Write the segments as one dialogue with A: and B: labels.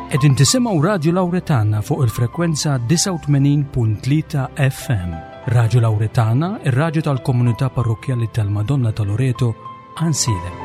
A: Qegħdin tisimgħu Radju Lawretana fuq il-frekwenza 89.3 FM. Radju Lawretana, ir-radju tal-komunità parrokkjali tal-Madonna ta' Loreto, Ansiedem.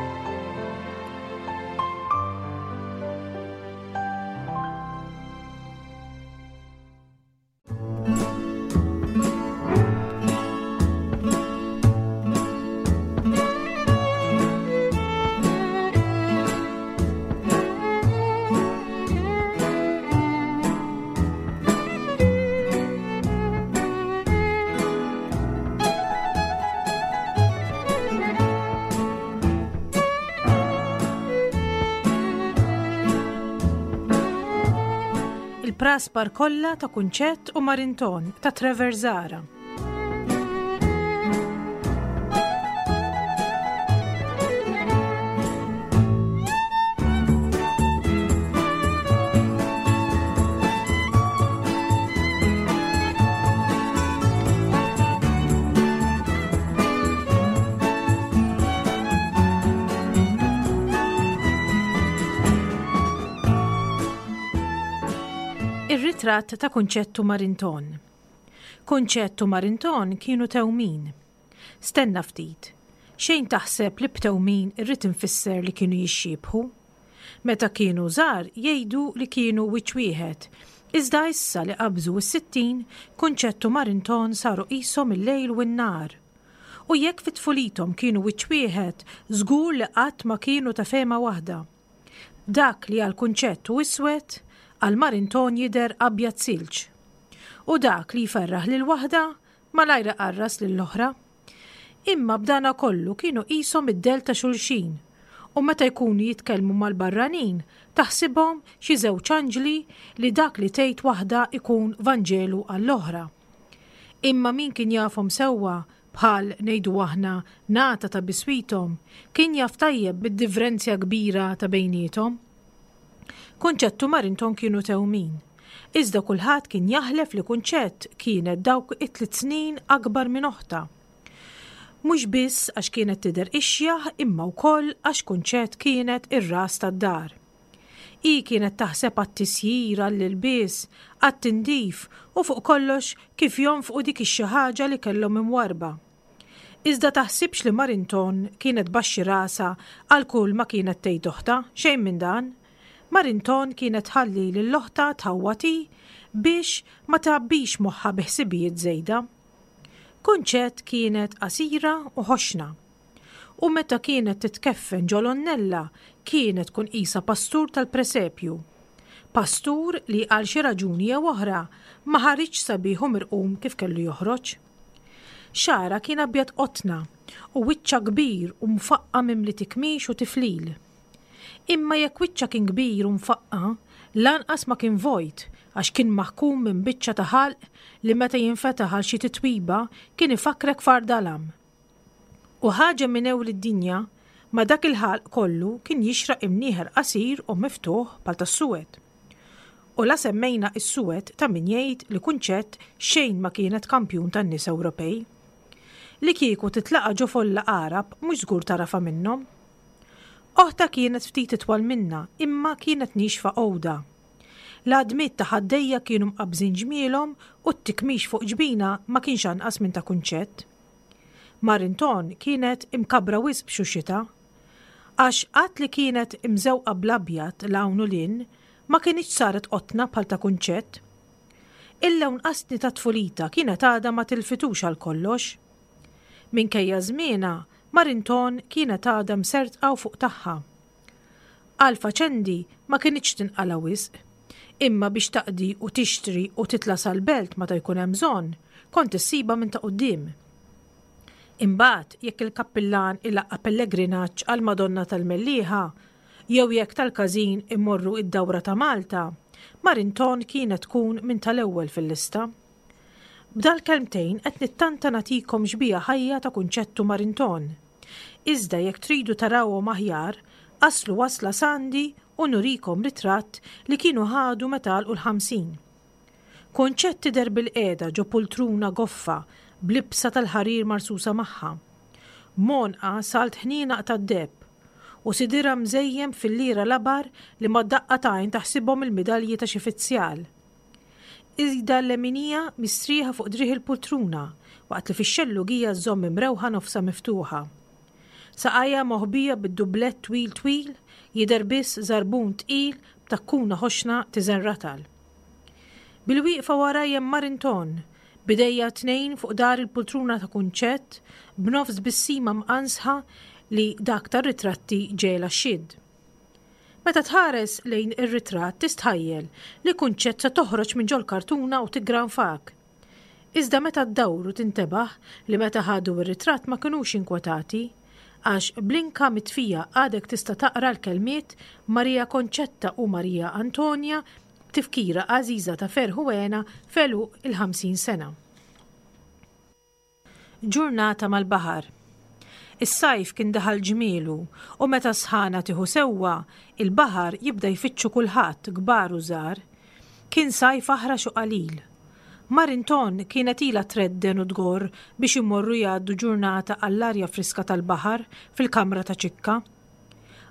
B: Il-praspar kollha ta' Kunċett u Marinton ta' Trevor Zara. Ir-ritratt ta' Kunċett u Marinton. Kunċett u Marinton kienu tewmin. Stenna ftit. Xejn taħseb li b'tewmin irrid infisser li kienu jixxiebħu. Meta kienu żgħar jgħidu li kienu wiċċ wieħed, iżda issa li qabżu s-60, Kunċett u Marinton saru qishom il-lejl u n-nhar. U jekk fi tfulithom kienu wiċċ wieħed, żgur li qatt ma kienu ta' fehma waħda. Dak li għal Kunċett hu iswed, għal Marinton jidher abjad silġ. U dak li jferraħ lil waħda, malajr iqarras lill-oħra. Imma b'dana kollu kienu qishom id-dell ta' xulxin, u meta jkunu jitkellmu mal-barranin taħsibhom xi żewġ anġli li dak li tgħid waħda jkun Vanġelu għall-oħra. Imma min kien jafhom sewwa, bħal, ngħidu aħna, nata ta' biswithom, kien jaf tajjeb bid-divrenzja kbira ta' bejniethom. Kunċett u Marinton kienu tewmin. Iżda kulħadd kien jaħlef li Kunċett kienet dawk it-tliet snin akbar minn oħtha. Mhux biss għax kienet tidher ixjaħ imma wkoll għax Kunċett kienet ir-ras tad-dar. Hi kienet taħseb għat-tisjir, għall-ilbies, għat-tindif u fuq kollox kif jonfqu dik ix-xi ħaġa li kellhom imwarrba. Iżda taħsibx li Marinton kienet tbaxxi rasha għal kull ma kienet tgħid oħtha, xejn minn dan. Marinton kienet tħalli lil oħtha tħawwad hi biex ma tgħabbix moħħha bi ħsibijiet żejda. Kunċett kienet qasira u ħoxna. U meta kienet titkeffen ġo l-għonnella kienet tkun qisha pastur tal-presepju. Pastur li għal xi raġuni jew oħra ma ħariġx sabiħ u mirqum kif kellu joħroġ. Xagħarha kien abjad qotna u wiċċha kbir u mfaqqa' mimli tikmix u tiflil. Imma jekk wiċċha kien kbir u mfaqqa', lanqas ma kien vojt għax kien maħkum minn biċċa ta' ħalq li meta jinfetaħ għal xi titwiba kien ifakkrek f'għar dalam. U ħaġa minn ewl id-dinja, ma' dak il-ħalq kollu kien jixraq imnieħer qasir u miftuħ bħal tas-suwed. U la semmejna s-suwed ta' min jgħid li Kunċett xejn ma kienet kampjun tan-nies Ewropej. Li kieku titlaqa' ġo folla Għarab mhux żgur tagħrafha minnhom. Oħtha kienet ftit itwal minnha imma kienet niexfa għoda. L-għadmiet ta' ħaddejja kienu mqabbżin ġmielhom u t-tikmix fuq ġbinha ma kienx anqas minn ta' Kunċett. Marinton kienet imkabbra wisq b'xuxitha. Għax għad li kienet imżewqa bl-abjad 'l hawn u 'l hinn, ma kinitx saret qotna bħal ta' Kunċett. Il-lewn qastni ta' tfulitha kienet għadha ma tilfitux għal kollox. Minkejja żmienha, Marinton kienet għadha msertqa u fuq tagħha. Għal faċendi ma kinitx tinqala' wisq. Imma biex taqdi u tixtri u titla' sal-belt meta jkun hemm bżonn, kont issibha minn ta' quddiem. Imbagħad jekk il-kappillan ilaqqa' pellegrinaġġ għall-Madonna tal-Mellieħa, jew jekk tal-każin imorru id-dawra ta' Malta, Marinton kienet tkun minn tal-ewwel fil-lista. B'dal-kelmtejn qed nittanta nagħtikom xbieha ħajja ta' Kunċettu Marinton. Iżda jekk tridu tarawhom aħjar, aslu wasla s'għandi u nurikom ritratt li kienu ħadu meta għalqu l-50. Kunċett tidher bilqiegħda ġo pultruna goffa b'libsa tal-ħarir marsusa magħha. M'għonqha salt ħnienaq tad-deheb. u sidirha mżejjen b'filliera labar li mad-daqqa t'għajn taħsibhom il-midalji ta' xi fizzjal. Idha l-leminija mistrieħa fuq driegħ il-pultruna waqt li fix-xellugija żżomm imrewħa nofsha miftuħa. Saqajha moħbija bid-dublett twil twil, jidher biss żarbun tqil b'takkuna ħoxna tiżen ratal. Bilwieqfa waraj hemm Marinton, b'idejja t-tnejn fuq dar il-pultruna ta' Kunċett, b'nofs tbissima mqansħa li dak tar-ritratti ġegħelha xxidd. Meta tħares lejn ir-ritratt tistħajjel li Kunċett se toħroġ minn ġol-kartuna u tiggranfak. Iżda meta ddawru tintebaħ li meta ħadu r-ritratt ma kinux inkwetati, għax bl-inka mitfija għadek tista' taqra l-kelmiet Maria Concetta u Maria Antonia b'tifkira għażiża ta' ferħ u hena f'għeluq il-50 sena. Ġurnata mal-baħar. Is-sajf kien daħal ġmielu u meta s-sħana tieħu sewwa, il-baħar jibda jfittxu kulħadd, kbar u żgħar. Kien sajf aħrax u qalil. Marinton kienet ilha tredden u tgorr biex imorru jgħaddu ġurnata għall-arja friska tal-baħar fil-kamra ta' Ċikka.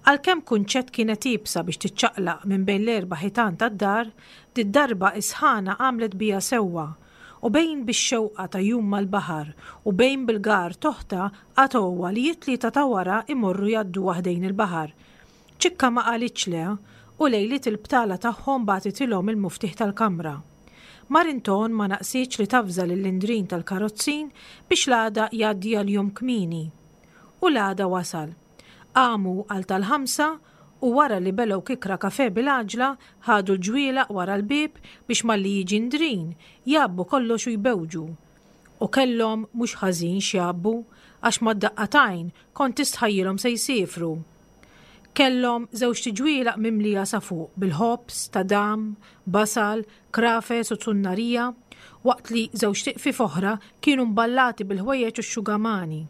B: Għalkemm Kunċett kienet iebsa biex tiċċaqlaq minn bejn l-erba' ħitan tad-dar, did-darba is-sħana għamlet biha sewwa, u bejn bix-xewqa ta' jum mal-baħar u bejn bil-gar t'oħtha qatgħuha li it-Tlieta ta' wara jmorru jgħadduha ħdejn il-baħar. Ċikka ma qalitx le, u lejliet il-btala tagħhom bagħtitilhom il-muftieħ tal-kamra. Marinton ma naqsitx li tavża lill-Indrin tal-karozzin biex l-għada jgħaddi għal jum kmieni. U l-għada wasal. Qamu għal tal-ħamsa u wara li belgħu kikra kafè bil-għaġla, ħadu l-ġwielaq wara l-bieb biex malli jiġi Ndrin, jgħabbu kollox u jbewġu. U kellhom mhux ħażin x'jgħabbu, għax mad-daqqa t'għajn kont tistħajjilhom se jsiefru. Kellhom żewġt iġwielaq mimlija sa fuq bil-ħobż, tadam, basal, krafes u zunnarija, waqt li żewġt iqfief oħra kienu mballati bil-ħwejjeġ u x-xugamani.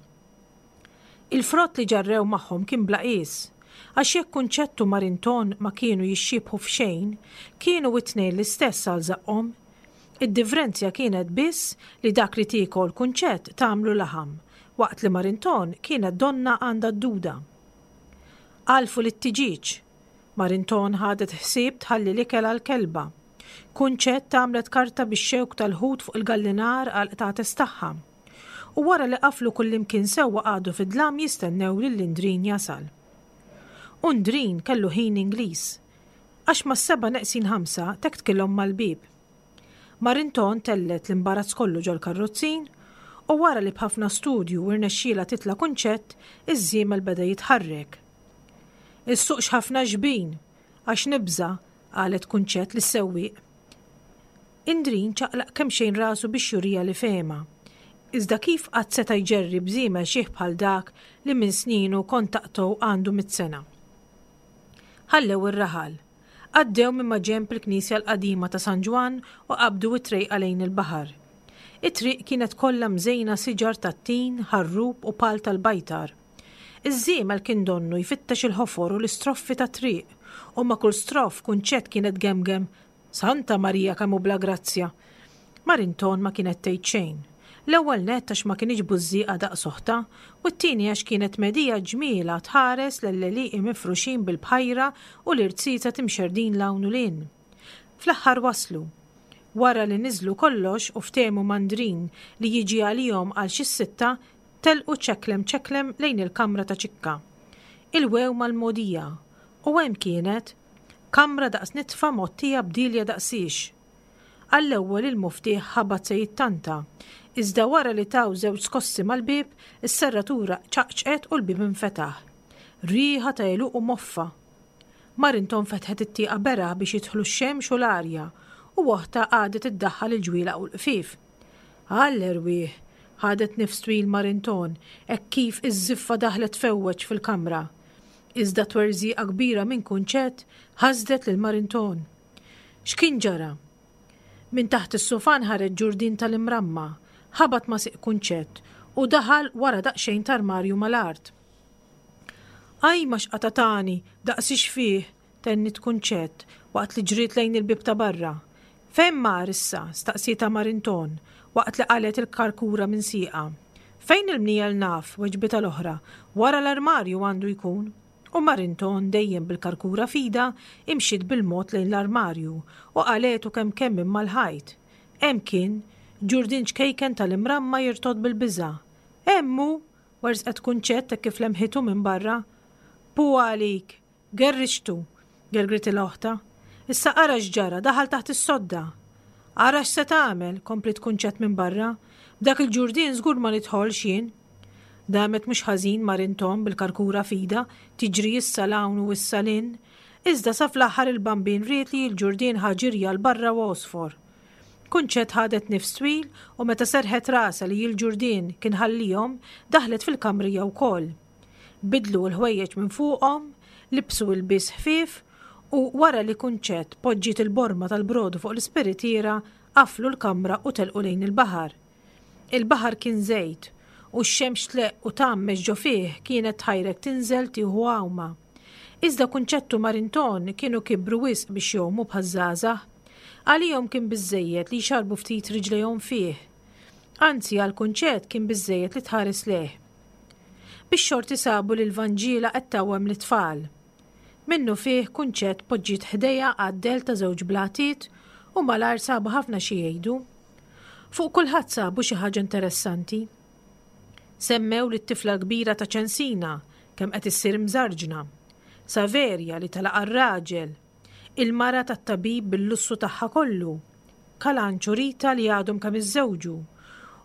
B: Il-frott li ġarrew magħhom kien bla qies, għax jekk Kunċett u Marinton ma kienu jixxiebħu f'xejn, kienu it-tnejn l-istess għal żaqqhom. Id-divrenzja kienet biss li dak li tiekol Kunċett tagħmlu laħam, waqt li Marinton kienet donnha għandha d-duda. Għalfu lit-tiġieġ. Marinton ħadet ħsieb tħalli l-ikel għall-kelba. Kunċett għamlet karta bix-xewk tal-ħut fuq il-gallinar għall-qtates tagħha. U wara li qaflu kullimkien sewwa qagħdu fid-dlam jistennew lil Indrin jasal. U Ndrin kellu ħin Ingliż. Għax mas-sebgħa neqsin ħamsa tektkilhom mal-bieb. Marinton tellgħet l-imbarazz kollu ġol-karrozzin u wara li b'ħafna studju irnexxielha titla' kunċett, iż-żiemel beda jitħarrek. Issuqx ħafna xbin, għax nibża', qalet Kunċett lis-sewwieq. Indrin ċaqlaq kemxejn rasu biex juriha li fehemha. Iżda kif qatt seta' jġerri b'żiemel xiħ bħal dak li minn sninu kont taqtgħu għandu mitt sena? Ħallew ir-raħal. Għaddew minn maġenb il-knisja l-qadima ta' San Ġwann u qabdu t-trejqa lejn il-baħar. It-triq kienet kollha mżejna siġar tat-tin, ħarrub u pal tal-bajtar. Iż-żiemel kien donnu jfittex il-ħofor u l-istroffi tat-triq, u ma' kull stroff Kunċett kienet tgemgem Santa Marija kemm hu bla grazzja! Marinton ma kienet tgħid xejn. L-ewwel nett għax ma kinitx bużżieqa daqs oħtha, u t-tieni għax kienet medhija ġmielha tħares lell-għelieqi mifruxin bil-bħajra u l-irziezet imxerrdin 'l hawn u 'l hinn. Fl-aħħar waslu. Wara li niżlu kollox u ftehmu ma' Ndrin li jiġi għalihom għal xi s-sitta, telqu ċeklem ċeklem lejn il-kamra ta' Ċikka. Ilwew mal-mogħdija. U hemm kienet, Kamra daqs nitfa mgħottija b'dilja daqsiex. Għall-ewwel il-muftieħ ħabat se jittanta, iżda wara li taw żewġ skossi mal-bieb, is-serratura ċaqċqet u l-bieb infetaħ. Riħa ta' għeluq u moffa. Marinton fetħet it-tieqa beraħ biex jidħlu x-xemx u l-arja, u oħtha qagħdet iddaħħal il-ġwielag u l-qfief. Għall-erwieħ! Ħadet nifs twil Marinton hekk kif iż-żiffa daħlet tfewweġ fil-kamra. Iżda twerżieqa kbira minn Kunċett ħasdet lil Marinton. X'kien ġara? Minn taħt is-sufan ħareġ ġurdien tal-imramma, ħabat ma' sieq Kunċett u daħal wara daqsxejn t'armarju mal-art. Ajma x'qata' tani, daqsiex fih! tenniet Kunċett waqt li ġriet lejn il-bieb ta' barra. Fejn mar issa? staqsietha Marinton waqt li qalgħet il-karkura minn sieqha. Fejn il-mniegħel naf, weġbitha l-oħra, wara l-armarju għandu jkun. U Marinton dejjem bil-karkura f'idha imxiet bil-mod lejn l-armarju u qalgħetu kemm kemm minn mal-ħajt. Hemm kien, ġurdien ċkejken tal-imramma jirtogħod bil-biża'. Hemm hu! Werżqet Kunċett hekk kif lemħitu minn barra. Pu għalik! Gerrixtu! gergritilha oħtha. Issa ara x'ġara, daħal taħt is-sodda! Ara x'se tagħmel, kompliet Kunċett minn barra. B'dak il-ġurdien żgur ma nidħolx jien. Damet mhux ħażin Marinton bil-karkura f'idha, tiġri issa 'l hawn u issa 'l hinn. Iżda sa fl-aħħar il-Bambin ried li l-ġurdien ħa ġirja 'l barra u għosfor. Kunċett ħadet nifs twil u meta serrħet rasha li l-ġurdien kien ħallihom, daħlet fil-kamra hija wkoll. Biddlu l-ħwejjeġ minn fuqhom, libsu ilbies ħfief u wara li Kunċett poġġiet il-borma tal-brodu fuq l-ispiritiera, qaflu l-kamra u telqu lejn il-baħar. Il-baħar kien żejt, u x-xemx tleqq u tgħammex ġo fih kienet tħajrek tinżel tieħu għawma. Iżda Kunċett u Marinton kienu kibru wisq biex jgħumu bħaż-żgħażagħ. Għalihom kien biżżejjed li jxarrbu ftit riġlejhom fih. Anzi għal Kunċett kien biżżejjed li tħares lejh. Bix-xorti sabu lil Vanġiela qed tgħawwem lit-tfal. Minnufih Kunċett poġġiet ħdejha għad-dell ta' żewġ blatiet u malajr sabu ħafna xi jgħidu. Fuq kulħadd sabu xi ħaġa interessanti. Semmew lit-tifla l-kbira ta' Ċensina kemm qed issir mżarġna. Saverja li telaq għar-raġel. Il-mara tat-tabib bil-lussu tagħha kollu. Kalanċ u Rita li għadhom kemm iżżewġu.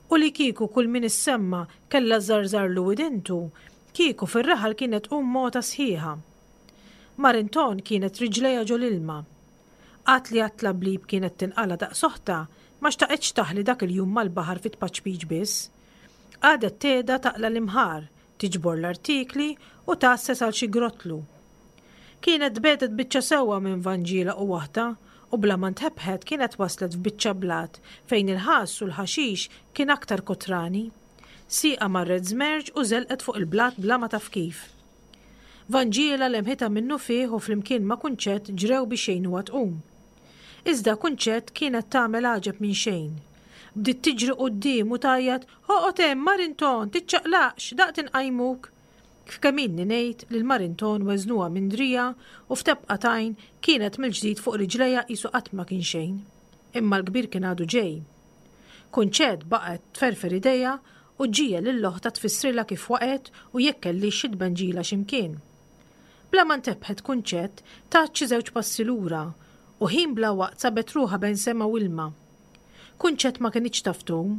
B: U li kieku kull min issemma kellha żżarżarlu widintu, Kieku fir-raħal kienet tqum mota sħiħa. Marinton kienet riġlejha ġol-ilma. Għad li għat-tlablib kienet tinqala' daqs oħtha, ma xtaqitx taħli dak il-jum mal-baħar fit-tpaċpiċ biss. Qagħdet tgħedha taqla' l-imħar, tiġbor l-artikli u tgħasses għal xi grottlu. Kienet tbiegħdet biċċa sewwa minn Vanġiela u oħtha u bla ma ntebħet kienet waslet f'biċċa blat fejn il-ħass u l-ħaxix kien aktar kotrani. Sieqha marret żmerġ u żelqet fuq il-blat bla ma taf kif. Vanġiela lemħitha minnufih u flimkien ma' Kunċett ġrew biex jgħinuha tqum. Iżda Kunċett kienet tagħmel għaġeb minn xejn. Bdiet tiġri quddiem u tgħajjat, Oqgħod hemm, Marinton, tiċċaqlaqx, daqt inqajmuk! Kif kemm ilni ngħid lil Marinton weżnuha minn driegħa u f'tebqa t'għajn kienet mill-ġdid fuq riġlejha qisu qatt ma kien xejn. Imma l-kbir kien għadu ġej. Kunċett baqgħet tferfer idejha u ġġiegħel lil oħtha tfissrilha kif waqgħet u jekk kellhiex xi tbenġila xi mkien. Bla ma ntebħet Kunċett tat xi żewġ passi lura u ħin bla waqt sabet ruħha bejn sema u ilma. Kunċett ma kinitx taf tgħum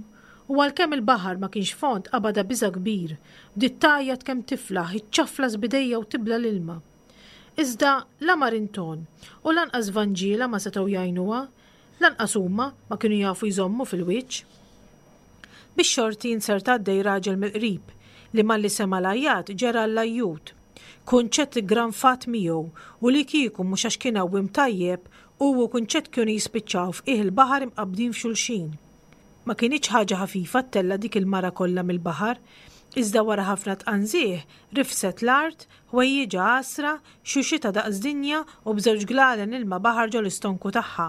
B: u għalkemm il-baħar ma kienx fond qabadha biża' kbir, bdiet tgħajjat kemm tiflaħ, iċċaflas b'idejha u tibla' l-ilma. Iżda la Marinton u lanqas Vanġiela ma setgħu jgħinuha Lanqas huma ma kienu jafu jżommu fil-wiċċ. Bix-xorti inzerta għaddej raġel mill-qrib li malli sema' l-għajjat ġera għall-ajjut. Kunċett iggranfat miegħu u li kieku mhux għax kien għawwiem tajjeb, hu u Kunċett kienu jispiċċaw f'qiegħ il-baħar imqabbdin f'xulxin. Ma kinitx ħaġa ħafifa ttella' dik il-mara kollha mill-baħar, iżda wara ħafna tqanżih rifset l-art, ħwejjiġha għasra, Xuxitha daqs dinja u b'żewġ glalen ilma baħar ġol-istonku tagħha.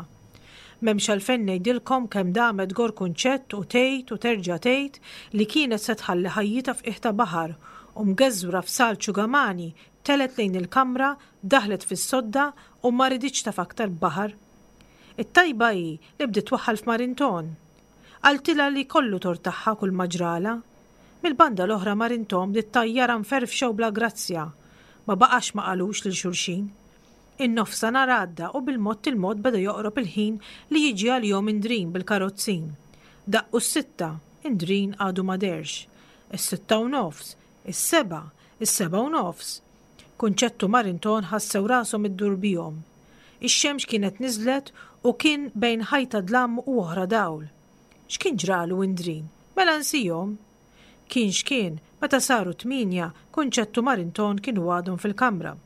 B: M'hemmx għalfejn ngħidilkom kemm damet tgorr kunċett u tgħid u terġa' tgħid li kienet se tħalli ħajjitha f'qiegħ ta' baħar u mgeżwra f'salt xugamani telgħet lejn il-kamra, daħlet fis-sodda u ma riditx taf aktar b'baħar. It-tajba hi li bdiet twaħħal f'Marinton. Qaltilha li kollu tort tagħha kulma ġralha. Mill-banda l-oħra Marinton bdiet tgħajjarha mferfxa u bla grazzja. Ma baqax ma qalux lil xulxin. In-nofsanhar għadda u bil-mod il-mod beda joqrob il-ħin li jiġi għalihom Indrin bil-karozzin. Daqqu s-sitta, Indrin għadu ma dehrx. Is-sitta u nofs, is-sebgħa, is-sebgħa u nofs. Kunċett u Marinton ħassew rashom iddur bihom. Ix-xemx kienet niżlet u kien bejn ħajta dlam u oħra dawl. X'kien ġralu Indrin? Mela nsihom! Kien x'kien, meta saru t-tmienja, Kunċett u Marinton kienu għadhom fil-kamra.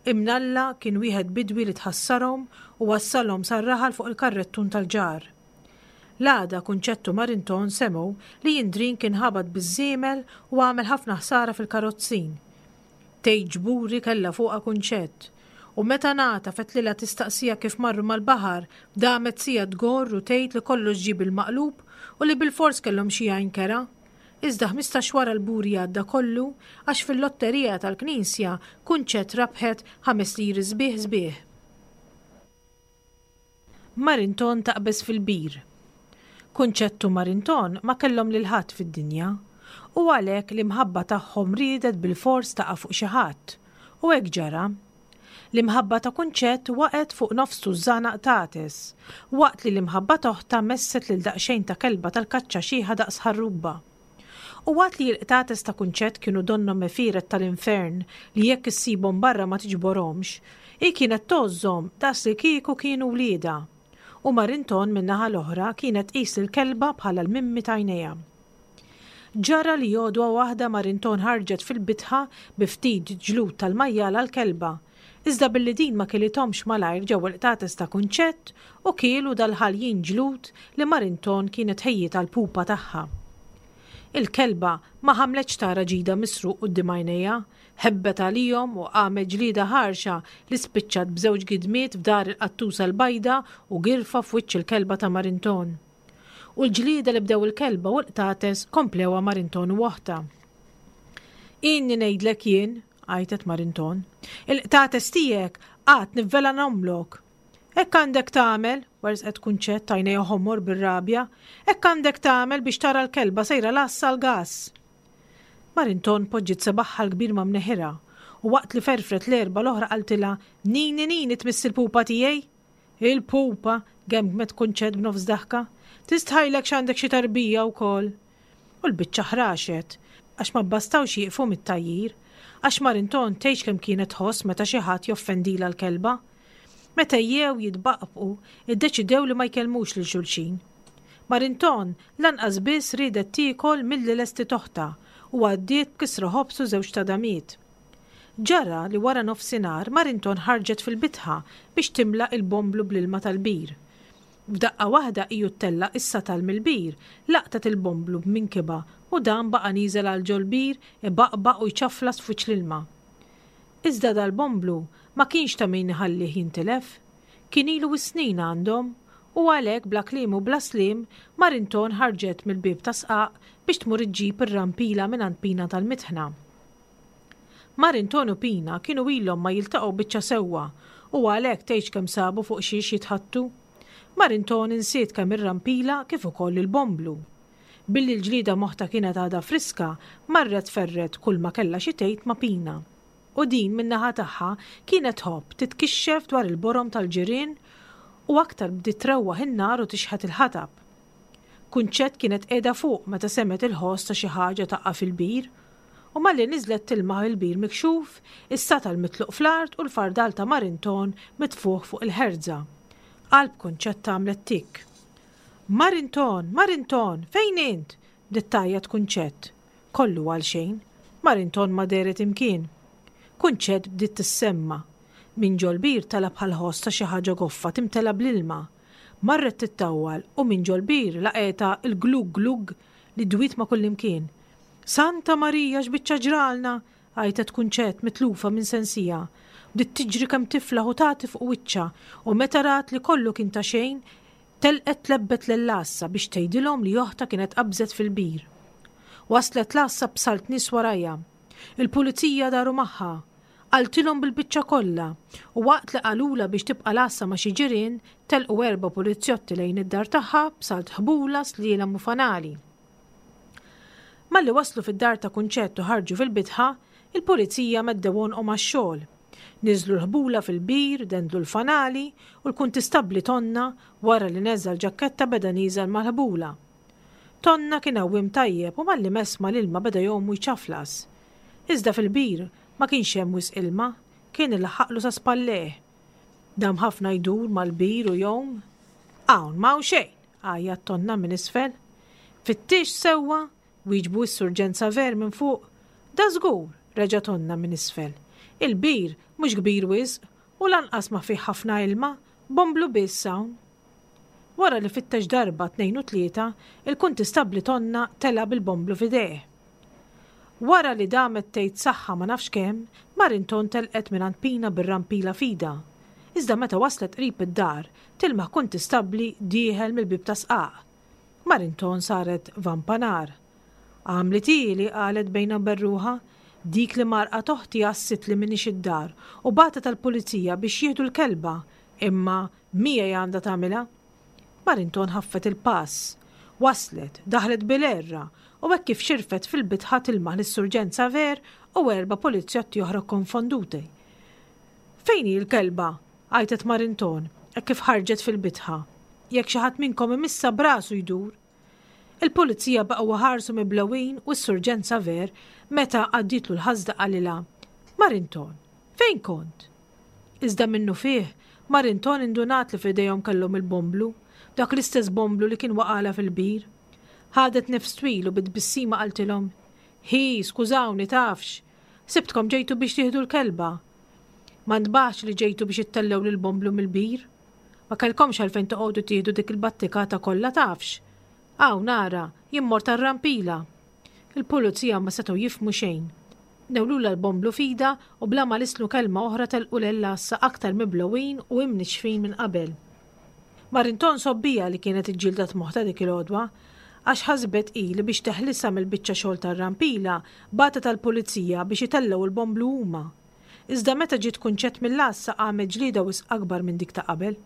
B: Imnalla kien wieħed bidwi li tħassarhom u wassalhom sar-raħal fuq il-karrettun tal-ġar. L-għada Kunċett u Marinton semgħu li Indrin kien ħabat biż-żiemel u għamel ħafna ħsara fil-karozzin. Tgħid ġburi kellha fuqha Kunċett. U meta ngħata fetlilha tistaqsiha kif marru mal-baħar, damet siegħa tgorr u tgħid li kollox ġie bil-maqlub u li bilfors kellhom xi għajn kerha. Iżda 15 wara l-buri għadda kollu għax fil-lotterija tal-knisja Kunċett rabħet ħames liri sbieħ sbieħ. Marinton taqbeż fil-bir. Kunċett u Marinton ma kellhom lil ħadd fid-dinja u għalhekk l-imħabba tagħhom riedet bilfors taqa' fuq xi ħadd. U hekk ġara. L-imħabba ta' Kunċett waqgħet fuq nofs tużżana qtates, waqt li l-imħabba t'oħtha messet lil daqsxejn ta' kelba tal-kaċċa xiħa daqs ħarruba. U waqt li l-qtates ta' Kunċett kienu donnhom għefieret tal-infern li jekk issibhom barra ma tiġborhomx, hi kienet tgħożżhom daqs li kieku kienu wliedha. U Marinton min-naħa l-oħra kienet tqis lill-kelba bħala l-mimmi t'għajnejha. Ġara li għodwa waħda Marinton ħarġet fil-bitħa bi ftit ġlud tal-majjal għall-kelba. Iżda billi din ma kilithomx malajr ġew il-qtates ta' Kunċett u kielu dal-ħaljin ġlud li Marinton kienet ħejjiet għall-pupa tagħha. Il-kelba ma ħamletx tara ġidha misruq quddiem għajnejha, ħebbet għalihom u qamet ġlieda ħarxa li spiċċat b'żewġ gidmiet f'dahar il-qattusa l-bajda u girfa f'wiċċ il-kelba ta' Marinton. U l-ġlieda li bdew il-kelba u l-qtates komplewha Marinton u oħtha. Inni ngħidlek jien, għajtet Marinton, il-qtates tiegħek għad nivvelanomlok. Hekk għandek tagħmel, werżqet Kunċett għajnejha ħomor bir-rabja, hekk għandek tagħmel biex tara l-kelba sejra l-għassa l-gass. Marinton poġġiet sebagħha l-kbir ma' mneħirha u waqt li ferfret l-erba' l-oħra qaltilha, Nini nini tmiss il-pupa tiegħi! Il-pupa! gemgmet Kunċett b'nofs daħka. Tistħajlek x'għandek xi tarbija wkoll! U l-biċċa ħraxet, għax ma bbastawx jieqfu mit-tgħajjir, għax Marinton tgħidx kemm kienet tħoss meta xi ħadd joffendilha l-kelba. Meta ejjew jitbaqbqu, iddeċidew li ma jkellmux lil xulxin. Marinton lanqas biss riedet tiekol milli lestiet oħtha u għaddiet b'kisra ħobż u żewġ tadamiet. Ġara li wara nofsinhar Marinton ħarġet fil-bitħa biex timla il-bomblu bl-ilma tal-bir. F'daqqa waħda iju ttellaq is-satal mill-bir, laqtet il-bomblu b'minkibha u dan baqa' nieżel għal ġol-bir ibaqbaq u jċaflas f'wiċċ l-ilma. Iżda dal-bomblu ma kienx ta' min iħallih jintilef. Kien ilu is-snin għandhom u għalhekk bla kliem u bla sliem Marinton ħarġet mill-bieb tas-sqaq biex tmur iġġib ir-rampila mingħand Pina tal-Mitħna. Marinton u Pina kienu ilhom ma jiltaqgħu biċċa sewwa u għalhekk tgħidx kemm sabu fuq xiex jitħaddtu. Marinton insiet kemm ir-rampila kif ukoll il-bomblu. Billi l-ġlieda m'oħtha kienet għadha friska, marret ferret kulma kellha xi tgħid ma' Pina. U din min-naħa tagħha kienet tħobb titkixxef dwar il-borom tal-ġirien u aktar bdiet trewwaħ in-nar u tixħet il-ħatab. Kunċett kienet qiegħda fuq meta semgħet il-ħoss ta' xi ħaġa taqa' fil-bir. U malli niżlet tilmaħ il-bir mikxuf, is-satal mitluq fl-art u l-fardal ta' Marinton mitfugħ fuq il-ħerza. Qalb Kunċetta għamlet tikk. Marinton! Marinton! Fejn int? bdiet tgħajjat Kunċett. Kollu għalxejn. Marinton ma dehret imkien. Kunċett bdiet tissemma'. Minn ġol-bir tela' bħal ħoss ta' xi ħaġa goffa timtela bl-ilma. Marret tittawwal u minn ġol-bir laqgħetha l-glugg glugg li dwiet ma' kullimkien. Santa Marija x'biċċa ġralna! għajtet Kunċett mitlufa minn sensiha. Bdiet tiġri kemm tiflaħ u tagħti fuq wiċċha u meta rat li kollu kien ta' xejn, telqet tlebbet lill-għassa biex tgħidilhom li oħtha kienet qabżet fil-bir. Waslet l-għassa b'salt nies warajha. Il-pulizija daru magħha. Qaltilhom bil-biċċa kollha u waqt li qalulha biex tibqa' l-għassa ma' xi ġirien, telqu erba' pulizjotti lejn id-dar tagħha b'salt ħbula, slielem u fanali. Malli waslu fid-dar ta' Kunċett u ħarġu fil-bitħa, il-pulizija meddew għonqhom għax-xogħol. Niżlu l-ħbula fil-bir, dendlu l-fanali u l-kuntistabbli Tonna, wara li neża' l-ġakketta beda nieżel mal-ħbula. Tonna kien għawwiem tajjeb u malli mess mal-ilma beda jgħum u jċaflas. Iżda fil-bir ma kienx hemm wisq ilma, kien ilaħħaqlu sa spallejh. Dam ħafna jdur mal-bir u jgħum. Hawn m'hawn xejn! għajjat Tonna minn isfel. Fittixx sewwa? wieġbu s-Surġent Saver minn fuq. Dażgur! reġa' Tonna minn isfel. Il-bir mhux kbir wisq u lanqas ma fih ħafna ilma, bomblu biss hawn. Wara li fittex darba, tnejn u tlieta, il-Kuntistabbli Tonna tela' bil-bomblu f'idejh. Wara li damet tgħid saħħa ma nafx kemm, Marinton telqet mingħand Pina bir-rampila f'idha. Iżda meta waslet qrib id-dar, tilmaħ kuntistabbli dieħel mill-bieb tas-sqaq. Marinton saret vampa nar. Għamlithieli, qalet bejnha u ben ruħha, dik li mgħarrqa t'oħti għassitli m'iniex id-dar u bagħtet għall-pulizija biex jieħdu l-kelba, imma miegħi għandha tagħmilha. Marinton ħaffet il-pass. Waslet, daħlet bil-għerra, u hekk kif xirfet fil-bitħa tilmaħ lis-Surġent Saver u erba' pulizjotti oħra kkonfonduti. Fejn hi l-kelba? għajtet Marinton, hekk kif ħarġet fil-bitħa. Jekk xi ħadd minnkom imissha b'rasu jdur. Il-pulizija baqgħu iħarsu miblewin u s-Surġent Saver meta għaddietlu l-ħasda qalilha, Marinton, fejn kont? Iżda minnufih, Marinton indunat li f'idejhom kellhom il-bomblu, dak l-istess bomblu li kien waqagħlha fil-bir. Ħadet nifs twil u bi tbissima qaltilhom, Hi, skużawni tafx! Sibtkom ġejtu biex tieħdu l-kelba. Ma ntbaħtx li ġejtu biex ittellgħu lill-bomblu mill-bir. Ma kellkomx għalfejn toqogħdu tieħdu dik il-battikata kollha tafx. Hawn, ara, jien mort għar-rampila. Il-pulizija ma setgħu jifhmu xejn. Newlulha l-bomblu f'idha u bla ma lissnu kelma oħra telqu lil għassa aktar miblugħin u imnixxfin minn qabel. Marinton sobbija li kienet iġġieldet moħħtha dik il-għodwa, għax ħasbet hi li biex teħlisha mill-biċċa xogħol tar-rampila bagħtet għall-pulizija biex itellgħu l-bomblu huma. Iżda meta ġiet Kunċett mill-għassa qamet ġlieda wisq akbar minn dik ta' qabel.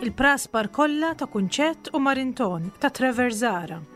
B: Il-praspar kollha ta' Kunċett u Marinton ta' Trevor Zahra.